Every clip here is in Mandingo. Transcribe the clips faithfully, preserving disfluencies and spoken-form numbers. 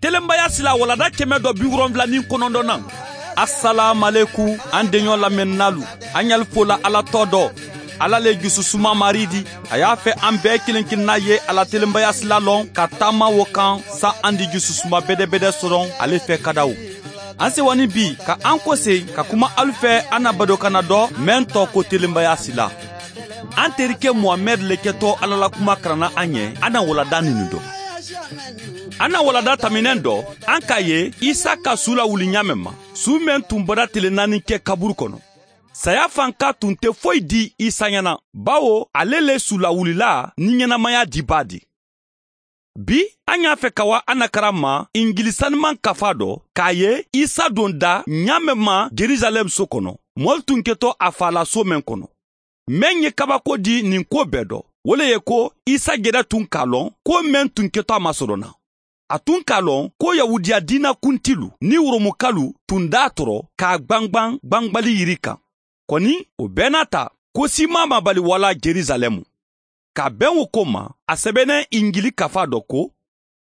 Telenbaya sila walanda kɛmɛ dɔ bi wolonwula ni kɔnɔntɔnnan. Asalaamaleku, an deɲɔ lamɛnnaalu, an ɲali fola Ala tɔgɔ dɔ. Ala le jususuma Marii di. A y'a fɛ an bɛɛ kelen kelenna ye a la telenbaya sila lɔn ka taama wo kan, sa an di jususuma bedebede sɔrɔ ale fɛ ka da o. An sewa ni bi ka an kose ka kuma alu fɛ, an na badokanna dɔ mɛn tɔ ko telenbaya sila. An terikɛ Muhamɛdi le kɛtɔ Ala la kuma karanna an ye, an na walanda ninnu dɔn. An na walanda taminɛ dɔ, an k'a ye Isa ka su lawuli ɲaamɛ ma, su mɛn tun bɔra tile naani kɛ kaburu kɔnɔ. Saya fanka tun tɛ foyi di Isa ɲɛna, bawo ale le su lawulila ni ɲɛnamaya dibaa di. Bi, an y'a fɛ ka wa an na karan ma Injili saniman kafa dɔ, k'a ye Isa don da ɲaamɛ ma Jerusalɛm so kɔnɔ, mɔlu tun kɛtɔ a faala so mɛn kɔnɔ. Mɛn ye kabako di nin ko bɛɛ dɔ, wo le ye ko Isa jɛda tun k'a lɔn ko mɛn tun kɛtɔ a masɔrɔna. A tun k'a lɔn ko Yahudiya diina kuntilu ni Romukalu tun d'a tɔrɔ k'a gbangban gbangbali yiri kan. Kɔni, o bɛɛ n'a ta, ko siman ma bali wala Jerusalɛmu. Ka bɛn wo ko ma, a sɛbɛnna Injili kafa dɔ ko: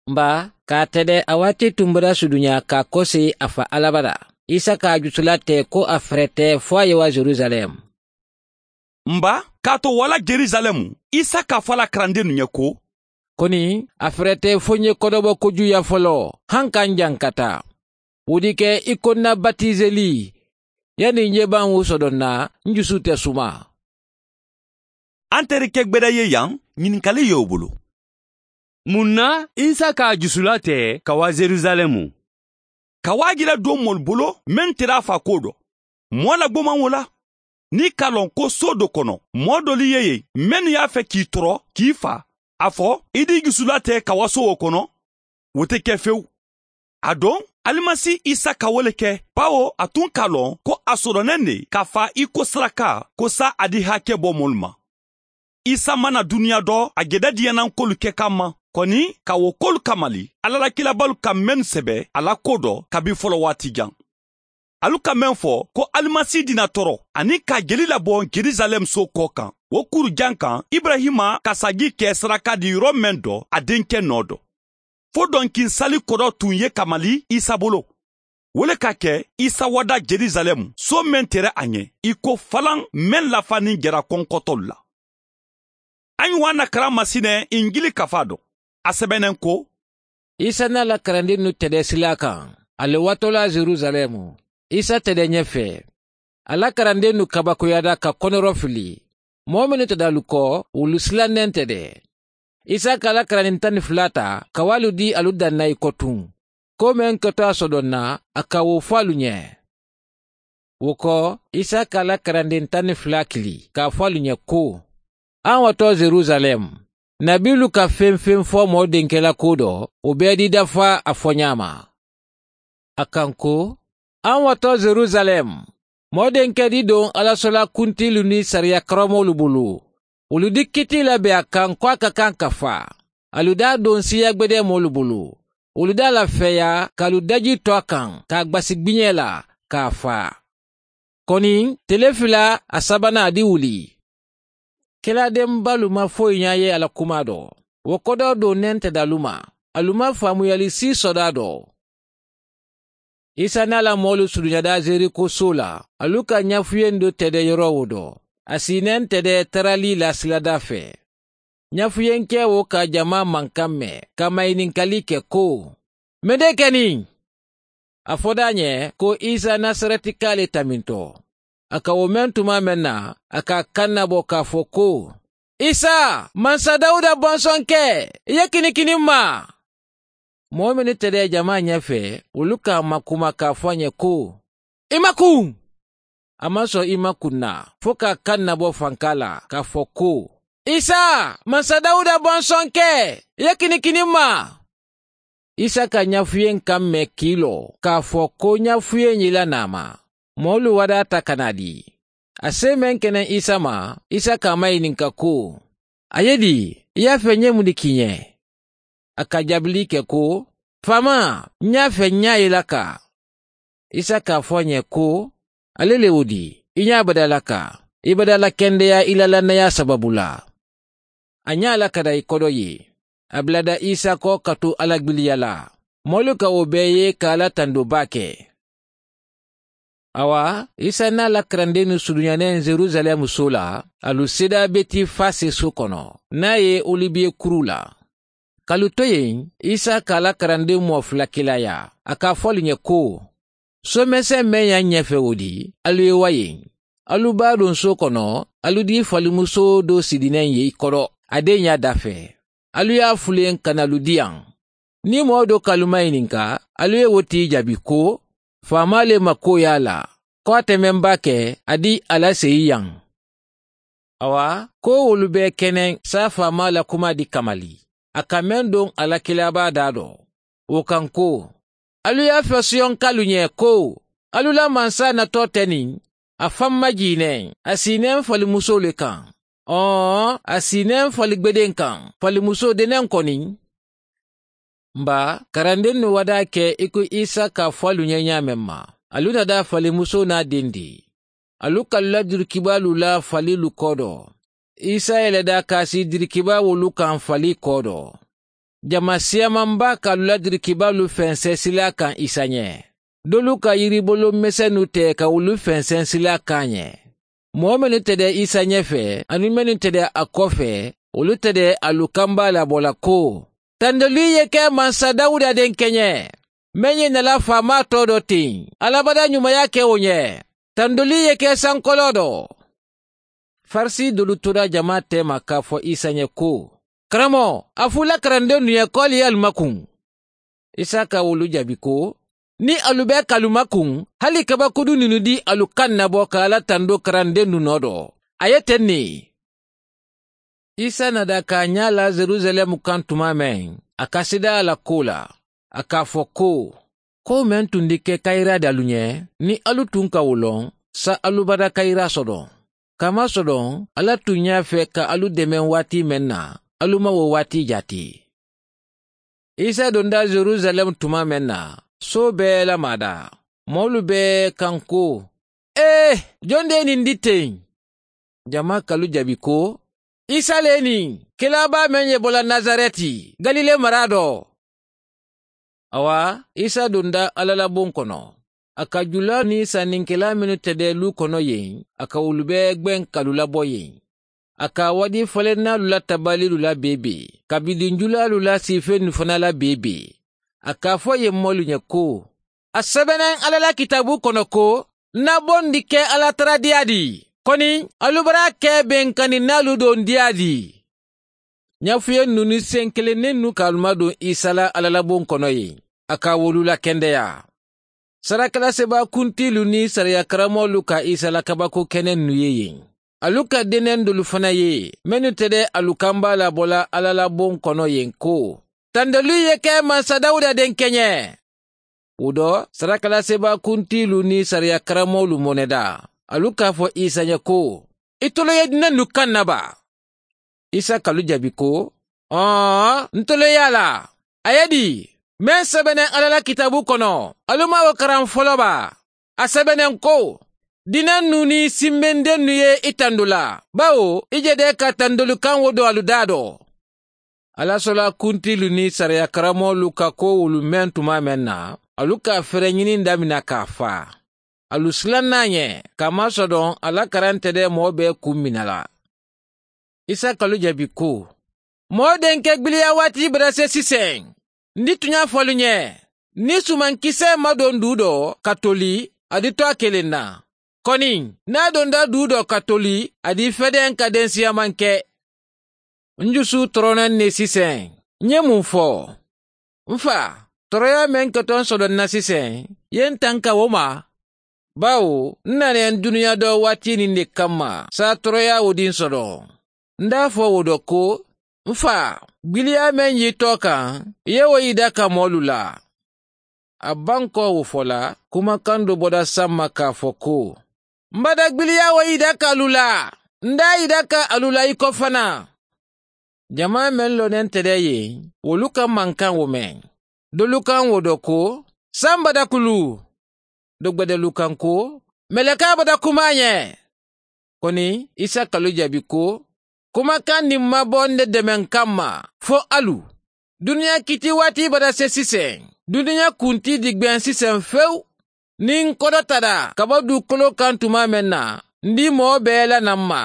N ba, k'a tɛdɛ a waati tun bɔra suduɲa k'a kɔse a fa Ala bara. Isa k'a jusula tɛ ko a fɛrɛ tɛ fo a ye wa Jerusalɛm. N ba, k'a to wala Jerusalɛm, Isa k'a fɔ a la karandennu ye ko: Kɔni, a fɛrɛ tɛ fo n ye kɔdɔbɔ kojuya fɔlɔ, han ka n jan ka taa. Wo di kɛ i ko n na batizeli, yani n yeban wo sɔdɔnna, n jusu tɛ suma. An terikɛ gbɛdɛ ye yan, ɲininkali ye o bolo. Mun na Isa k'a jusula tɛ ka wa Jerusalɛmu? Ka wa jira don mɔlu bolo, men tera a fa ko dɔ. Mɔɔ la gboman wo la. N'i ka lɔn ko so do kɔnɔ, mɔɔ doli ye yen, mennu y'a fɛ k'i tɔrɔ k'i fa, a fɔ i d'i jusula tɛ ka wa so wo kɔnɔ, wo te kɛ fewu. A don, alimasi Isa ka wo le kɛ, bawo a tun k'a lɔn ko a sɔrɔnɛn ne ka fa i ko saraka, ko sa a di hakɛ bɔ mɔlu ma. Isa mana duniya dɔ, a jɛda diɲɛnankolu kɛ kan ma. Kɔni, ka wo kolu kamali, Ala la kilabalu ka mennu sɛbɛ a la ko dɔ kabi fɔlɔ waati jan. Alu ka men fɔ ko alimasi dina tɔrɔ, ani ka jeli labɔ Jerusalɛm so kɔ kan, wo kuru jan kan, Ibrahima ka saji kɛ saraka di yɔrɔ men dɔ, a denkɛ nɔ dɔ. Fo dɔnkin sali kɔrɔ tun ye kamali Isa bolo. Wo le ka kɛ, Isa wada Jerusalɛm, so men tere a ɲɛ, i ko falan men lafa ni jara kɔnkɔtɔlu la. An ye wa na karan masinɛ Injili kafa dɔ. A sɛbɛnnen ko: Isa n'a la karandennu tɛdɛ sila kan, a le watɔla Jerusalɛm. Isa tɛdɛ ɲɛfɛ. A la karandennu kabakoyada ka kɔnɔrɔ fili. Mɔɔ mennu tɛdalu kɔ, wolu sila nɛn tɛdɛ. Isa ka a la karanden tan ni fula ta, ka wa alu di alu danna i kɔ tun. Ko men kɛtɔ a sɔdɔnna, a ka wo fo alu ɲɛ. Wo kɔ, Isa ka a la karanden tan ni fula kili, k'a fo alu ɲɛ ko: An watɔ Jerusalɛm, nabiilu ka feŋ-feŋ fɔ mɔɔ denkɛ la ko dɔ, o bɛɛ dida fo a fɔɲaa ma. A kan ko: An watɔ Jerusalɛm, mɔɔ denkɛ di don alasola kuntiilu ni sariya karamɔgɔlu bolo. Wolu di kiiti la be a kan ko a ka kan ka fa. Alu d'a don siiya gbedemoolu bolo. Wolu d'a lafeeya ka alu daji to a kaŋ ka a gbasi gbiñee la ka a faa. Koni tele fila a sabanaa a di wuli. Keladenbalu ma foyi ñaa ye a la kumaa do. Wo kodoo do nenteda alu ma. Alu ma faamuyali sii sodaa do. Isa naa la moolu suduñada zeriko soo la. Alu ka ñafuyen do tede yoroo wo do. A si nentede taralii la siladaa fee. Ñafuyenkee wo ka jamaa mankaŋ me ka mayininkalii ke ko, mendee ke niŋ? A fodaa ñe ko isa nasaretikaa le taminto. A ka wo meŋ tumaa meŋ na, a ka a kannaboo ka a fo ko, isa, mansa dawuda bonsonkee, i ye kinikini m ma. Moo mennu tede jamaa ñee fee, wolu ka a makuma ka a fo a ñe ko, i makuŋ. A maŋ soŋ i makuŋ na fo ka a kannaboo fankaa la ka a fo ko, isa, mansa dawuda bonsonkee, i ye kinikini m ma. Isa ka ñafuyeŋ kaŋ me kiiloo ka a fo ko ñafuyeŋ ye i la naama. Moolu wadaata ka naa dii. A see meŋ ke naŋ isa ma, isa ka a mayininka ko, a ye dii? I ye a fee ñe mundi kiñe? A ka jaabilii ke ko, faamaa, ñaa fee ñaa ye i la kaa. Isa ka a fo a ñe ko, ale le wo di, i ñaa bada la kaa, i bada la kendeyaa i la lannayaa sababu la. A ñaa la ka da i kodo ye. A bula da isa ko ka tu a la gbiliya la. Moolu ka wo bee ye ka a la tandoo baa ke. Awa, isa niŋ a la karandennu suruɲaneŋ yerusaleemu soo la, alu seedaa be ti faasee soo kono niŋ a ye olibiye kuruu la. Ka alu to yen, isa ka a la karandenmu moo fula kilaaya, a ka a fo alu ɲe ko, soomeseŋ meŋ ye a ɲee fe wo di, alu ye wa yen. Alu be a duŋ soo kono, alu dii falimusoo doo sidinaŋ ye i kodo, a deeɲaa daafee. Alu ye a fuluyeŋ ka na alu dii a. Niŋ moo doo ka alu mayininka, alu ye wo tii jaabi ko, faamaa le maŋ koo ye a la, ko a te meŋ baa ke, a dii a la seyi yaŋ. Awa, ko wolu bee keneŋ saafaamaa la kumaa di kamali, a ka meŋ doŋ a la kilaabaa daa do. Wo kaŋ ko, alu ye a fo siyoŋ kaalu ɲe ko, alu la mansa natoo te niŋ, a faŋ maŋ jii neŋ, a si i neŋ falimusoo le kaŋ. Ɔɔ, a si i neŋ faligbedeŋ kaŋ, falimusoo deneŋ koniŋ. Mba, karandennu wadaa ke i ko isa ka a fo alu ɲe ɲaameŋ ma, alu na daa falimusoo naa dendi. Alu ka alu la diri kibaalu la faliilu koodoo. Isa ye le daa kaasi diri kibaa wolu kaŋ falii koodoo. Jama siyamaa baa ka alu la diri kibaalu fenseŋ silaa kaŋ isa ɲe. Doolu ka yiriboloo mesennu te ka wolu fenseŋ silaa kaŋ a ɲe. Moo mennu tede isa ɲefee aniŋ mennu tede a koofee, wolu tede alu kambaa la bo la ko, tandolii ye ke mansa dawuda denkeɲe, meŋ ye na la faamaa too do tiŋ, alla bada ɲumaya ke wo ɲe. Tandolii ye ke sankoloo do. Farisi doolu tora jamaa teema ka a fo isa ɲe ko, karamoo, a fo i la karandennu ye ko ali ye alu makuŋ. Isa ka wolu jaabi ko, niŋ alu be ka alu makuŋ, hali kabakodunninnu di alu kaŋ na bo ka alla tandoo karandennu noo do. A ye teŋ ne. Isa na daa ka a ñaa la yerusaleemu kaŋ tumaa meŋ, a ka sidaa a la koo la. A ka a fo ko, koo meŋ tundi ke kayiraa daalu ñe, niŋ alu tuŋ ka wo loŋ, sa alu bada kayiraa sodoŋ. Ka a masodoŋ, alla tuŋ ñaa fee ka alu demeŋ waati meŋ na, alu maŋ wo waati jaati. Isa donda yerusaleemu tumaa meŋ na, soo bee la maadaa, moolu bee kaŋ ko, ee, joŋ de ye ñiŋ di teŋ? Jamaa ka alu jaabi ko, isa le niŋ, kilaabaa meŋ ye bo la nasareti, galile maraa do. Awa, isa donda alla la boŋ kono. A ka julaa niŋ sanninkilaa mennu tede luu kono yeŋ, a ka wolu bee gbeŋ ka alu labo yeŋ. A ka a wadi falennaalu la tabaliilu la beebee, kabidiŋ julaalu la siifennu fanaa la beebee. A ka a fo ì ye moolu ñe ko, a sebeneŋ alla la kitaaboo kono ko, ǹ na bondi ke alla taradiyaa di, koni alu bara ke beŋ kaninnaalu dondiyaa di. Ñaafuyennuu niŋ seŋ kelennennu ka alu maduŋ isa la alla la boŋ kono yeŋ, a ka wolu lakendeyaa. Sarakalasibakuntiilu niŋ sariya karamoolu ka isa la kabakoo kenennu ye yeŋ. Alu ka deneŋ doolu fanaa ye, mennu tede alu kambaa la bo la alla la boŋ kono yeŋ ko, tandolii ye ke mansa dawuda denkeñe. Wo do, sarakalasibakuntiilu niŋ sariya karamoolu moneda, alu ka a fo isa ñe ko, itolu ye dinennu kaŋ na ba? Isa ka alu jaabi ko, ɔɔ, ntolu ye a la. A ye di, meŋ sebeneŋ alla la kitaaboo kono, alu maŋ wo karaŋ foloo ba? A sebeneŋ ko, dinennu niŋ simbendennu ye i tandu la, bawo i je de ka tandolu kaŋ wo do alu daa do. Alla soolaa kuntiilu niŋ sariya karamoolu ka koo wolu meŋ tumaa meŋ na, alu ka a fereñiniŋ damina ka a faa. Alu silaŋ na a ñe, ka a masodoŋ a la karaŋ tede moo bee kuŋ mina la. Isa ka alu jaabi ko, moo denke gbiliyaa waati bada se siseŋ. Ǹ di tuñaa fo alu ñe, niŋ sumaŋ kisee maŋ doŋ duu do ka toli, a di to a keleŋ na. Koni niŋ a donda duu do ka toli, a di fedeŋ ka densiyaa maŋ ke. Ǹ jusu toronaŋ ne siseŋ. Ǹ ye muŋ fo? Ǹ faa, toroyaa meŋ ke to ǹ sodoŋ na siseŋ, ye ǹ tanka wo ma. Bawo ǹ na neŋ duniyaa doo waatiniŋ ne kamma saa toroyaa wo di ǹ sodoŋ. Ǹ daa fo wo do ko, ǹ faa, gbiliyaa meŋ ye i too kaŋ, i ye wo yida ka moolu la. A bankoo wo fo la, kumakaŋ doo boda samma ka a fo ko, m bada gbiliyaa wo yida ka alu la. Ǹ daa yida ka alu la i ko fanaa. Jamaa meŋ loneŋ tede ye, wolu kaŋ maŋ kaŋ wo meŋ. Doolu kaŋ wo do ko, saŋ bada kulu. Dogbedelu kaŋ ko, melekaa bada kumaa ñe. Koni isa ka alu jaabi ko, kumakaŋ niŋ maŋ bo ǹ de demeŋ kamma, fo alu. Duniyaa kiitiwaati bada se siseŋ. Duniya kuntii digbeŋ siseŋ fewu. Niŋ n kodota la ka bo duukoloo kaŋ tumaa meŋ na, n dii moo bee la naŋ ma.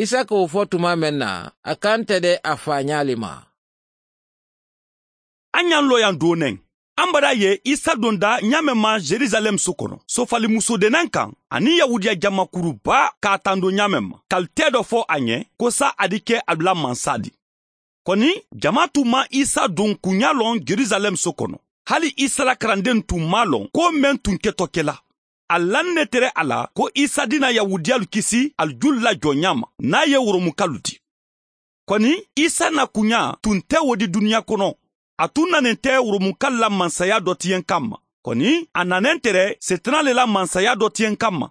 Isa ka wo fo tumaa meŋ na, a kanta de a faañaa le ma. A ñaŋ looyaŋ doo neŋ. Ambadaa ye isa donda ñaameŋ ma jerusalem so kono, soofali musoo de naŋ kaŋ aniŋ yahuudiya jama kuru baa ka a tando ñaameŋ ma ka ali tee do fo a ñe ko saa a di ke alu la mansaa di. Koni jamaa tun maŋ isa duŋ kuñaa loŋ jerusalem so kono. Hali isa la karandeŋ tun maŋ a loŋ ko meŋ tun keto ke la. Ali laŋ ne tere a la ko isa dina yahuudiyalu kisi ali julu la jooñaa ma niŋ a ye woromukalu di. Koni isa na kuñaa tun te wo di duniya kono. A tun naneŋ te woromukalu la mansayaa do tiyeŋ kamma. Koni a naneŋ tere setanaa le la mansayaa do tiyeŋ kamma.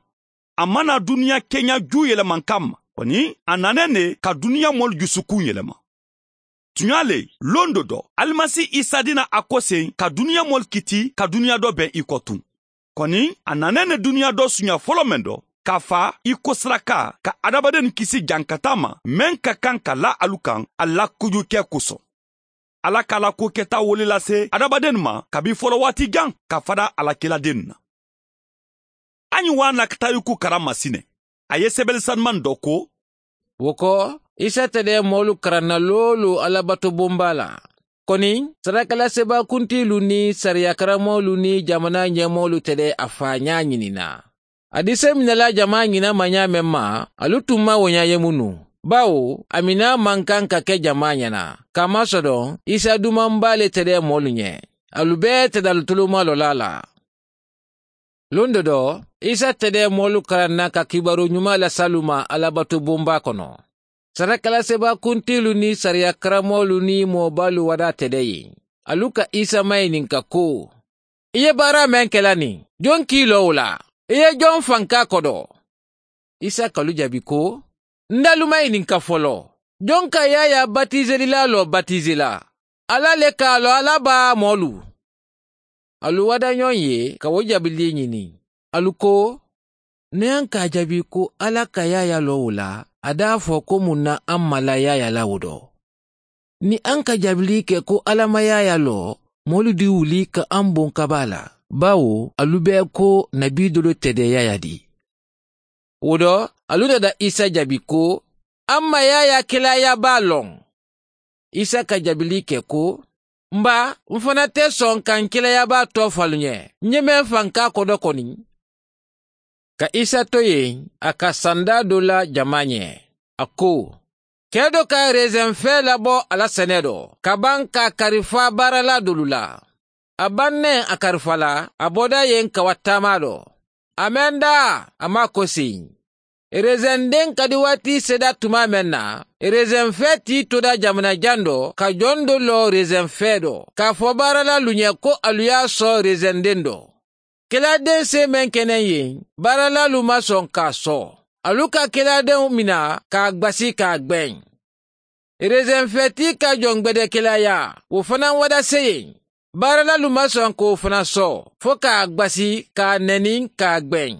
A maŋ na duniya keña juu yelemankaŋ ma. Koni a naneŋ ne ka duniya moolu jusukuŋ yelema. Tuñaa le, londo do alimasi isa dina a koseŋ ka duniya moolu kiti ka duniya do beŋ i ko tuŋ. Koni a naneŋ ne duniya do suña folo meŋ do ka faa i kosiraka ka adamadennu kisi jankataa ma meŋ ka kaŋ ka la alu kaŋ a la kujukee koso. Alla ka a la kuwo keta wo le lase adamadennu ma kabi folowaati jaŋ ka fada a la kiladennu na. A ñiŋ waa na ka tariku karaŋ masine. A ye sebeli sanumaŋ do ko. Wo ko, isa tede moolu karaŋ na loolu alla bato bombaa la. Koni sarakalasebaa kuntiilu niŋ sariya karamoolu niŋ jamanaa ñeemoolu tede a faañaa ñini na. A disemina la jamaa ñina ma ñaameŋ ma, alu tun maŋ wo ñaa ye munu. Bawo a minaa maŋ kaŋ ka ke jamaa ñana. Kamasodoŋ isa dumaŋ baa le tede moolu ñe. Alu bee tede alu tulumalolaa la. Londo do isa tede moolu karaŋ na ka kibaru ñumaa lasi alu ma alla bato bombaa kono. Sarakalasebaa kuntiilu niŋ sariya karamoolu niŋ moo baalu wadaa tede yen. Alu ka isa mayininka ko, i ye baara meŋ ke la niŋ? Joŋ ka i loo wo la? I ye joŋ fankaa kodo? Isa ka alu jaabi ko, n da alu mayininka foloo, joŋ ka yaayaa batiiselilaaloo batiisela? Alla le ka a loŋ alla baa moolu. Alu wada ñoŋ ye ka wo jabilii ñini. Alu ko, niŋ a ka a jaabi ko alla ka yaayaa loo wo la, a da a fo ko muŋ na a ma la yaayaa la wo do? Niŋ a ka jabilii ke ko alla ma yaayaa loo, moolu di wuli ka a boŋ kabaa la. Baawo alu be ko nabii dolu tede yaayaa di. Wo do alu dada isa jaabi ko, a ma yaayaa kelaayaa baa loŋ. Isa ka jabilii ke ko, n baa, n fana te soŋ ka n kelaayaa baa too fo alu ñe. N ye meŋ fankaa kodo koni. Ka isa to yen, a ka sandaa do la jamaa ñe. A ko, kee do ka reseŋ fee labo a la senee do ka baŋ ka a kari faa baaralaa dolu la. A baŋ ne a kari faa la, a boda yen ka wa taamaa do. A meŋ daa, a maŋ a kosi. Reseŋ deŋ kadiwaati seeda tumaa meŋ na, reseŋ fee tii toda jamana jaŋ do ka joŋ do loo reseŋ fee do ka a fo baaralaalu ñe ko alu ye a soo reseŋ deŋ do. Kelaadeŋ see meŋ ke naŋ yen, baaralaalu maŋ soŋ ka a soo. Alu ka kelaadeŋo mina ka a gbasi ka a gbeŋ. Reseŋ fee tii ka joŋ gbedekelaayaa, wo fanaa wada seyeŋ. Baaralaalu maŋ soŋ ka wo fanaa soo fo ka a gbasi ka a neni ka a gbeŋ.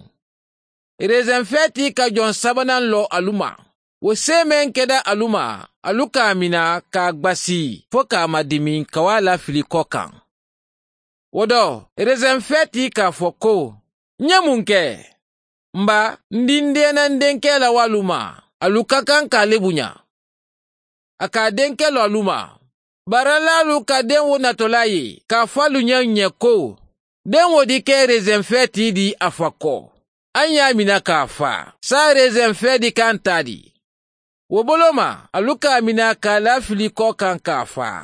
Reseŋ fee tii ka joŋ sabanaa loo alu ma. Wo see meŋ keda alu ma, alu ka a mina ka a gbasi fo ka a madimi ka wo a la filikoo kaŋ. Wo do, reseŋ fee tii ka a fo ko, n ye muŋ ke? N baa, n dindeenandenkee la wo alu ma. Alu ka kaŋ ka a le buña. A ka a denke lo alu ma. Baaralaalu ka deŋ wo natolaa ye ka a fo alu ñeŋ ñe ko, deŋ wo di ke reseŋ fee tii di a fa ko, a ñaamina ka a faa, saayiŋ reseŋ fee di ka a ntaa di. Wo boloo ma, alu ka a mina ka a la filikoo kaŋ ka a faa.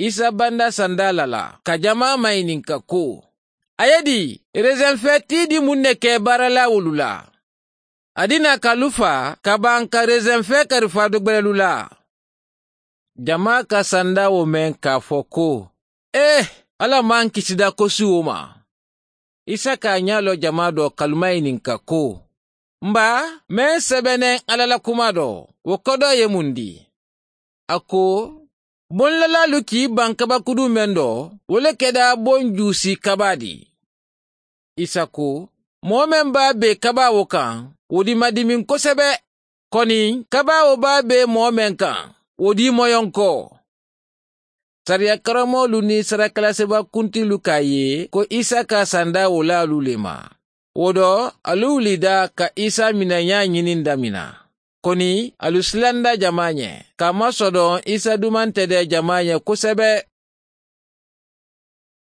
Isa banda sanda la la ka jamaa mayininka ko, a ye di? Reseŋ fee tii di muŋ ne ke baaralaawolu la? A di naa ka alu faa ka baŋ ka reseŋ fee kari faa dogbelelu la. Jamaa ka sanda wo meŋ ka a fo ko, ee, alla maŋ kisida kosi wo ma. Isa ka a ñaa loo jamaa do ka alu mayininka ko, n baa, meŋ sebeneŋ alla la kumaa do, wo kodoo ye muŋ di? A ko, bonlalaalu ka i baŋ kabakuduu meŋ do, wo le keda boŋ juusii kabaa di. Isa ko, moo meŋ be a bee kabaa wo kaŋ, wo di madimiŋ kosebe. Koni kabaa wo be a bee moo meŋ kaŋ, wo di moyonkoo. Sariya karammoolu niŋ sarakalasiba kuntilu ka a ye ko isa ka sandaa wo laalu le ma. Wo do, alu wulita ka isa minayaa ñininda mina. Koni alu silanda jamaa ñe ka masodoŋ isa dumanteede jamaa ñe kosebe.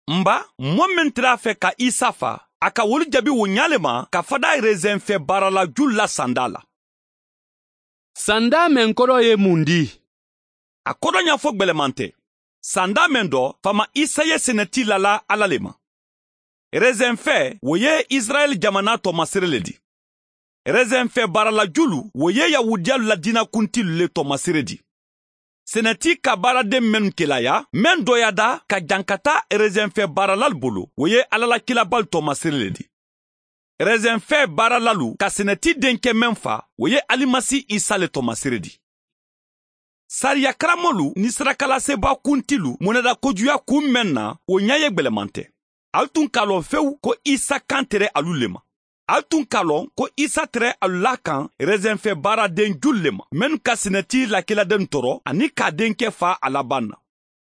N ba, moo meŋ tara a fe ka isa faa, a ka wolu jabi wo ñaa le ma ka fadaa reseŋ fee baarala julu la sandaa la. Sandaa meŋ kodoo ye muŋ dii? A kodoo ñaafo gbelemante. Sandaa meŋ do, faama isa ye seneti lala alla le ma. Reseŋ fee wo ye isirayila jamanaa toomasere le ti. Reseŋ fee baarala julu wo ye yahuudiyalu la diina kuntilu le toomasere ti. Seneti ka baaradeŋ mennu ke la yaa meŋ dooyaata ka jaŋ ka taa reseŋ fee baaralalu bolo wo ye alla la kiilabaalu toomasere le ti. Reseŋ fee baaralalu ka seneti denkee meŋ faa wo ye alimasi isa le toomasere ti. Sariya karammoolu niŋ sarakalasiba kuntilu moneda kojuya kuŋ meŋ na, wo ñaa ye gbelemante. Ali tun ka a loŋ fewu ko isa kaŋ tere alu le ma. Ali tun ka a loŋ ko isa tere alu la a kaŋ reseŋ fee baaradeŋ julu le ma mennu ka seneti la kiiladennu toro aniŋ ka a denkee faa a labaŋ na.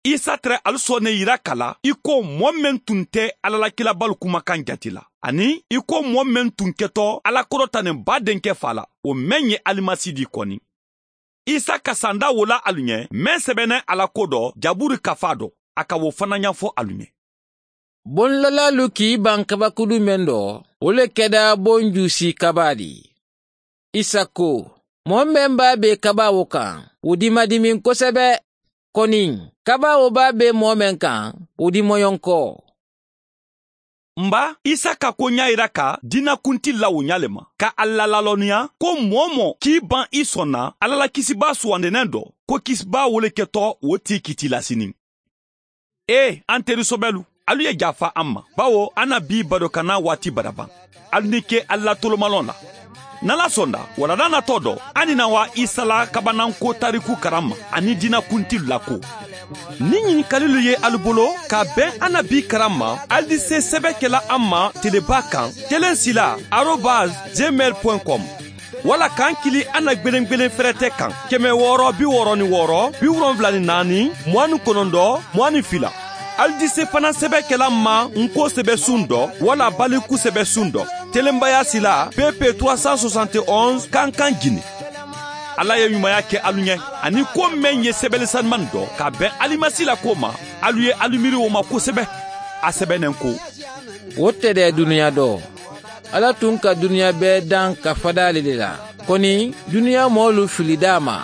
Isa tere alu sooneeyira ka la i ko moo meŋ tun te alla la kiilabaalu kumakaŋ jati la, aniŋ i ko moo meŋ tun keto alla kodota niŋ baa denkee faa la, wo meŋ ye alimasi di koni. Isa ka sandaa wo la alu ñe meŋ sebeneŋ a la ko do jaburi kafaa do, a ka wo fanaa ñaafo alu ñe. Boŋ lalaalu ka i baŋ kabakudu meŋ do, wo le keda boŋ juusii kabaa ti. Isa ko, moo meŋ be a bee kabaa wo kaŋ, wo di ma dimiŋ kosebe. Koniŋ, kabaa wo be a bee moo meŋ kaŋ, wo di moyonko. N ba, isa ka ko ñaa yira ka diina kuntilu la wo ñaa le ma ka a la laaloniya ko moo-wo-moo ka i baŋ i sonna alla la kisibaa suwandineŋ do, ko kisibaa wo le keto wo tii kitiilasiniŋ. Ee, an teri sobelu, alu ye jaafa an ma, bawo an na bii badokannaa waati bada baŋ. Alu ni ke alu la tolomaloŋ la. N'alla sonda, wulada natoo do, an ni naa waa isa la kabananko taariku karamma aniŋ diina kuntilu la ko. Niŋ ñinikalilu ye alu bolo ka a beŋ an na bii karamma, alu di see sebe ke la an ma telebaa kaŋ, keleŋ sila arobas gmail point com. Walla ka n kili an na gbelengbelen ferete kaŋ, keme wooro bi wooro ni wooro bi wolonwula ni naani, muwaŋ ni kononto, muwaŋ ni fila. Ali di se fanaa sebe kela n ma n ko sebe suŋ do walla baliku sebe suŋ do, telenbaya sila pepe trois cent soixante et onze kankaŋ jini. Alla ye ñumaya ke alu ñe, aniŋ ko meŋ ye sebeli sanimaŋ do ka a beŋ alimasi la ko ma, alu ye alu miiri wo ma kosebe. A sebe neŋ ko, wo te de duniya do, alla tun ka duniya bee daŋ ka fadaali le la, koni duniya moolu filida a ma.